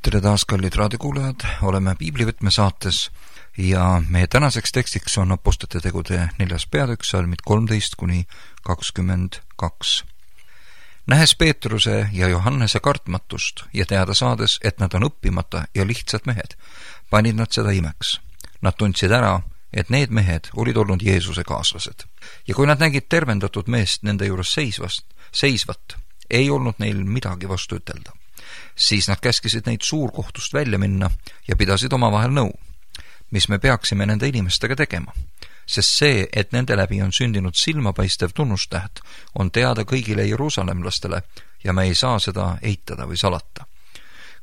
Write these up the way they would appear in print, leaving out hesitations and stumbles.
Tere taas, kallid raadiokuulajad, oleme Piiblivõtme saates ja meie tänaseks tekstiks on Apostlite tegude 4. peatükk, salmid 13-22. Nähes Peetruse ja Johannese kartmatust ja teada saades, et nad on õppimata ja lihtsad mehed, panid nad seda imeks. Nad tundsid ära, et need mehed olid olnud Jeesuse kaaslased. Ja kui nad nägid tervendatud meest nende juures seisvat, ei olnud neil midagi vastu ütelda. Siis nad käskisid neid suurkohtust välja minna ja pidasid omavahel nõu, mis me peaksime nende inimestega tegema, sest see, et nende läbi on sündinud silmapaistev tunnustäht, on teada kõigile jeruusalemlastele ja me ei saa seda eitada või salata.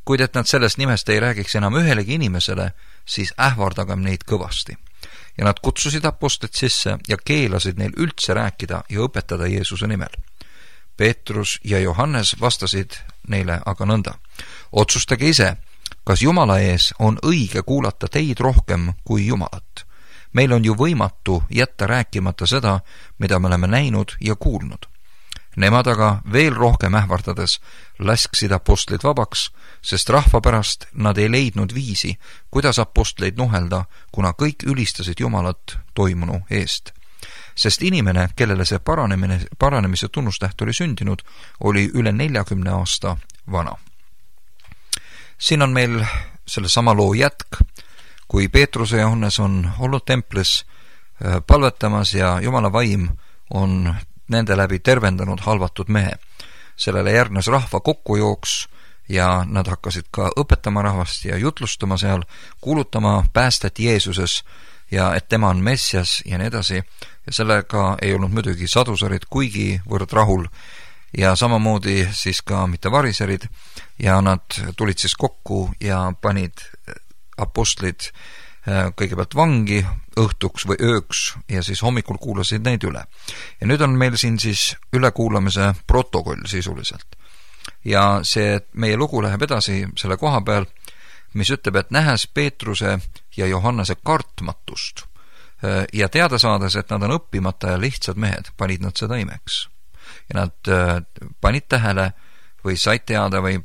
Kuid et nad sellest nimest ei räägiks enam ühelegi inimesele, siis ähvardagem neid kõvasti. Ja nad kutsusid apostlid sisse ja keelasid neil üldse rääkida ja õpetada Jeesuse nimel. Peetrus ja Johannes vastasid neile aga nõnda. Otsustage ise, kas Jumala ees on õige kuulata teid rohkem kui Jumalat. Meil on ju võimatu jätta rääkimata seda, mida me oleme näinud ja kuulnud. Nemad aga veel rohkem ähvardades lasksid apostlid vabaks, sest rahva pärast nad ei leidnud viisi, kuidas apostleid nuhelda, kuna kõik ülistasid Jumalat toimunu eest. Sest inimene, kellele see paranemise tunnustäht oli sündinud, oli üle 40 aasta vana. Siin on meil selle sama loo jätk, kui Peetruse ja Johannes on olnud templis palvetamas ja Jumala vaim on nende läbi tervendanud halvatud mehe. Sellele järgnes rahva kokkujooks ja nad hakkasid ka õpetama rahvast ja jutlustama seal, kuulutama päästet Jeesuses ja et tema on Messias ja nii edasi. Ja sellega ei olnud muidugi sadusarid kuigi võrd rahul ja samamoodi siis ka mitte variserid ja nad tulid siis kokku ja panid apostlid kõigepealt vangi õhtuks või ööks ja siis hommikul kuulasid neid üle. Ja nüüd on meil siin siis ülekuulamise protokoll sisuliselt. Ja see meie lugu läheb edasi selle koha peal, mis ütleb, et nähes Peetruse ja Johannese kartmatust ja teada saades, et nad on õppimata ja lihtsad mehed, panid nad seda imeks. Ja nad panid tähele või said teada või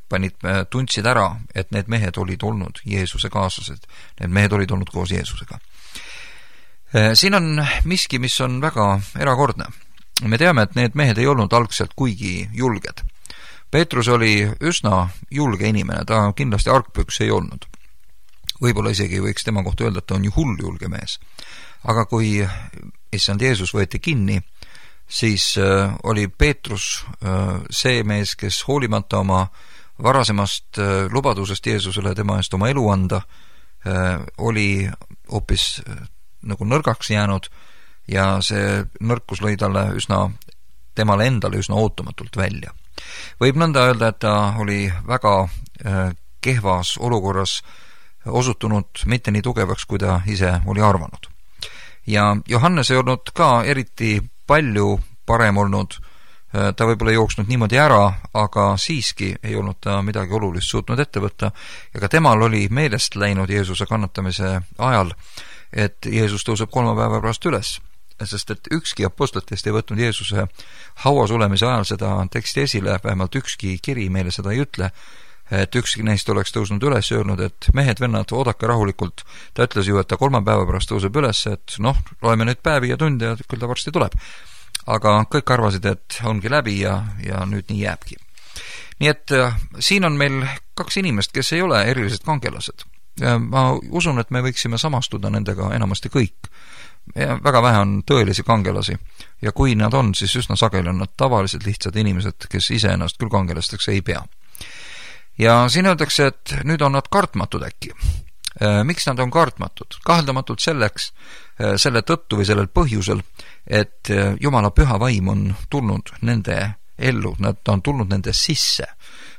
tundsid ära, et need mehed olid olnud Jeesuse kaaslased. Need mehed olid olnud koos Jeesusega. Siin on miski, mis on väga erakordne. Me teame, et need mehed ei olnud algselt kuigi julged. Peetrus oli üsna julge inimene, ta kindlasti argpüks ei olnud. Võib-olla isegi võiks tema kohta öelda, et ta on ju hull julge mees. Aga kui issand Jeesus võeti kinni, siis oli Peetrus see mees, kes hoolimata oma varasemast lubadusest Jeesusele tema eest oma elu anda, oli hoopis nagu nõrgaks jäänud ja see nõrkus lõi temale endale üsna ootamatult välja. Võib nõnda öelda, et ta oli väga kehvas olukorras osutunud mitte nii tugevaks, kui ta ise oli arvanud. Ja Johannes ei olnud ka eriti palju parem olnud, ta võib-olla jooksnud niimoodi ära, aga siiski ei olnud ta midagi olulist suutnud ette võtta ja ka temal oli meelest läinud Jeesuse kannatamise ajal, et Jeesus tõuseb 3 päeva pärast üles, sest et ükski apostlitest ei võtnud Jeesuse hauas olemise ajal seda teksti esile, vähemalt ükski kiri meile seda ei ütle, et ükski neist oleks tõusnud üles ja öelnud, et mehed, vennad, oodake rahulikult. Ta ütles ju, et ta 3 päeva pärast tõuseb üles, et loeme nüüd päevi ja tunde ja küll ta varsti tuleb. Aga kõik arvasid, et ongi läbi ja nüüd nii jääbki. Nii et siin on meil 2 inimest, kes ei ole erilised kangelased. Ma usun, et me võiksime samastuda nendega enamasti kõik. Ja väga vähe on tõelisi kangelasi ja kui nad on, siis üsna sageli on nad tavalised lihtsad inimesed, kes ise ennast küll kangelasteks ei pea. Ja siin öeldakse, et nüüd on nad kartmatud äkki. Miks nad on kartmatud? Kaheldamatult selle tõttu või sellel põhjusel, et Jumala püha vaim on tulnud nende ellu, nad on tulnud nende sisse.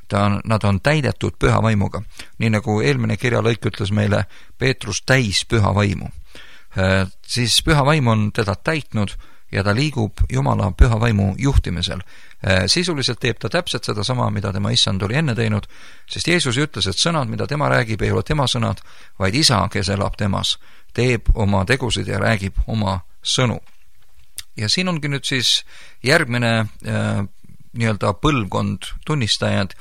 Nad on täidetud püha vaimuga. Nii nagu eelmine kirjalõik ütles meile, Peetrus täis püha vaimu. Siis püha vaim on teda täitnud ja ta liigub Jumala püha vaimu juhtimisel. Sisuliselt teeb ta täpselt seda sama, mida tema issand oli enne teinud, sest Jeesus ütles, et sõnad, mida tema räägib, ei ole tema sõnad, vaid isa, kes elab temas, teeb oma tegusid ja räägib oma sõnu. Ja siin ongi nüüd siis järgmine nii-öelda põlvkond tunnistajad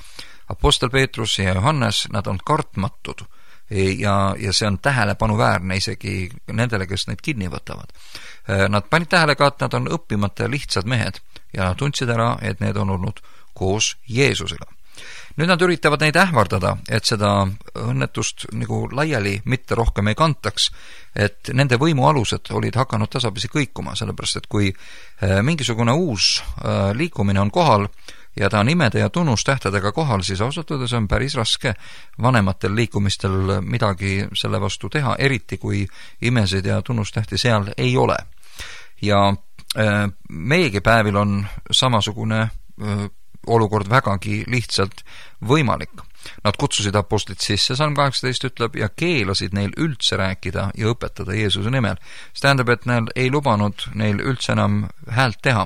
Apostel Peetrus ja Johannes, nad on kartmatud ja see on tähelepanuväärne isegi nendele, kes neid kinni võtavad. Nad panid tähele ka, et nad on õppimata ja lihtsad mehed ja nad tundsid ära, et need on olnud koos Jeesusega. Nüüd nad üritavad neid ähvardada, et seda õnnetust nagu laiali mitte rohkem ei kantaks, et nende võimualused olid hakanud tasapisi kõikuma, sellepärast et kui mingisugune uus liikumine on kohal ja ta on imede ja tunnustähtedega kohal, siis ausalt öeldes on päris raske vanematel liikumistel midagi selle vastu teha, eriti kui imesid ja tunnustähti seal ei ole. Ja meiegi päevil on samasugune olukord vägagi lihtsalt võimalik. Nad kutsusid apostlid sisse, Salm 18 ütleb, ja keelasid neil üldse rääkida ja õpetada Jeesuse nimel. See tähendab, et neil ei lubanud neil üldse enam häält teha.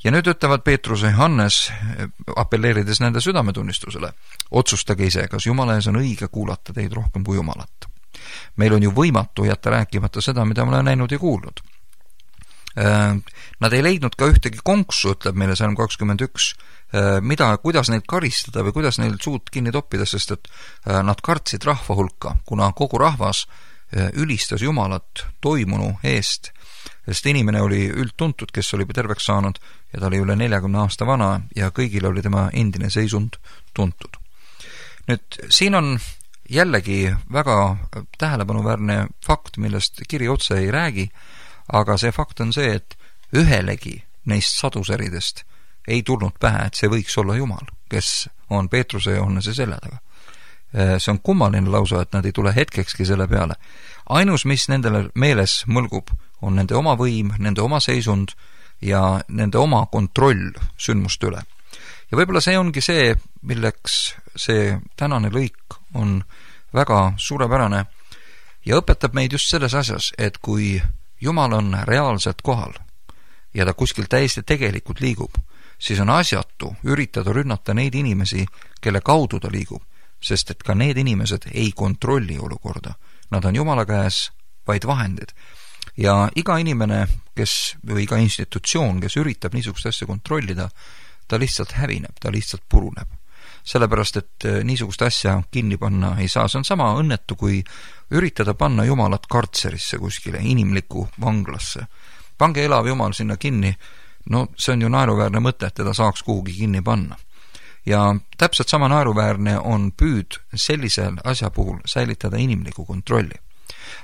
Ja nüüd ütlevad Peetrus ja Johannes, appelleerides nende südametunnistusele, otsustage ise, kas Jumala ees on õige kuulata teid rohkem kui Jumalat. Meil on ju võimatu jätta rääkimata seda, mida me oleme näinud ja kuulnud. Nad ei leidnud ka ühtegi konksu, ütleb meile Salm 21, kuidas neid karistada või kuidas neil suud kinni toppida, sest et nad kartsid rahva hulka, kuna kogu rahvas ülistas Jumalat toimunu eest, sest inimene oli üldtuntud, kes oli terveks saanud ja ta oli üle 40 aasta vana ja kõigil oli tema endine seisund tuntud. Nüüd, siin on jällegi väga tähelepanuväärne fakt, millest kiri otse ei räägi, aga see fakt on see, et ühelegi neist saduseridest ei tulnud pähe, et see võiks olla Jumal, kes on Peetruse ja Johannese selja taga. See on kummaline lausa, et nad ei tule hetkekski selle peale. Ainus, mis nendele meeles mõlgub, on nende oma võim, nende oma seisund ja nende oma kontroll sündmuste üle. Ja võib-olla see ongi see, milleks see tänane lõik on väga suurepärane ja õpetab meid just selles asjas, et kui Jumal on reaalselt kohal ja ta kuskil täiesti tegelikult liigub, siis on asjatu üritada rünnata neid inimesi, kelle kaudu ta liigub, sest et ka need inimesed ei kontrolli olukorda. Nad on Jumala käes vaid vahendid. Ja iga inimene, või iga institutsioon, kes üritab niisugust asja kontrollida, ta lihtsalt hävineb, ta lihtsalt puruneb. Sellepärast, et niisugust asja kinni panna ei saa. See on sama õnnetu, kui üritada panna Jumalat kartserisse kuskile, inimlikku vanglasse. Pange elav Jumal sinna kinni, no see on ju naeruväärne mõte, et teda saaks kuhugi kinni panna. Ja täpselt sama naeruväärne on püüd sellisel asja puhul säilitada inimliku kontrolli.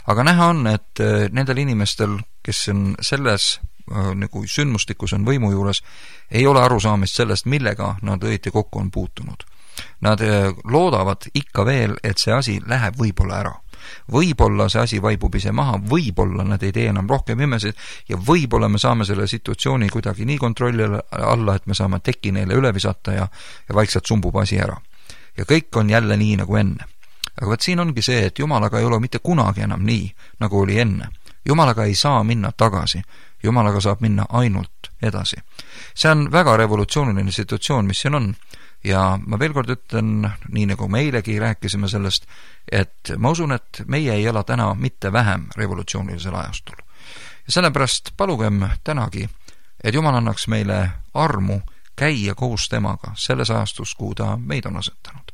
Aga näha on, et nendel inimestel, kes on selles nagu sündmustikus on võimu juures, ei ole arusaamist sellest, millega nad õieti kokku on puutunud. Nad loodavad ikka veel, et see asi läheb võib-olla ära. Võib-olla see asi vaibub ise maha, võib-olla nad ei tee enam rohkem imesid ja võib-olla me saame selle situatsiooni kuidagi nii kontrolli alla, et me saame teki neile üle visata ja vaikselt sumbub asi ära. Ja kõik on jälle nii nagu enne. Aga võt siin ongi see, et Jumalaga ei ole mitte kunagi enam nii, nagu oli enne. Jumalaga ei saa minna tagasi. Jumalaga saab minna ainult edasi. See on väga revolutsiooniline situatsioon, mis siin on. Ja ma veel kord ütlen, nii nagu me eilegi rääkisime sellest, et ma usun, et meie ei ela täna mitte vähem revolutsioonilisel ajastul. Ja sellepärast palugem tänagi, et Jumal annaks meile armu käia koos temaga selles ajastus, kuhu ta meid on asetanud.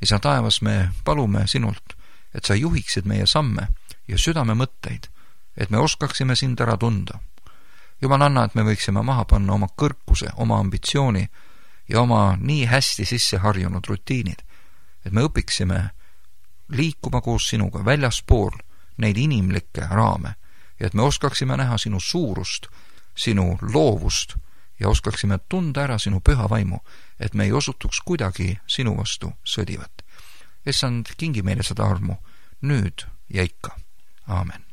Isa taevas, me palume sinult, et sa juhiksid meie samme ja südame mõtteid, et me oskaksime sind ära tunda. Jumal anna, et me võiksime maha panna oma kõrkuse, oma ambitsiooni ja oma nii hästi sisse harjunud rutiinid, et me õpiksime liikuma koos sinuga väljaspool neid inimlikke raame ja et me oskaksime näha sinu suurust, sinu loovust ja oskaksime tunda ära sinu püha vaimu, et me ei osutuks kuidagi sinu vastu sõdivat. Issand, kingi meile seda armu nüüd ja ikka. Aamen.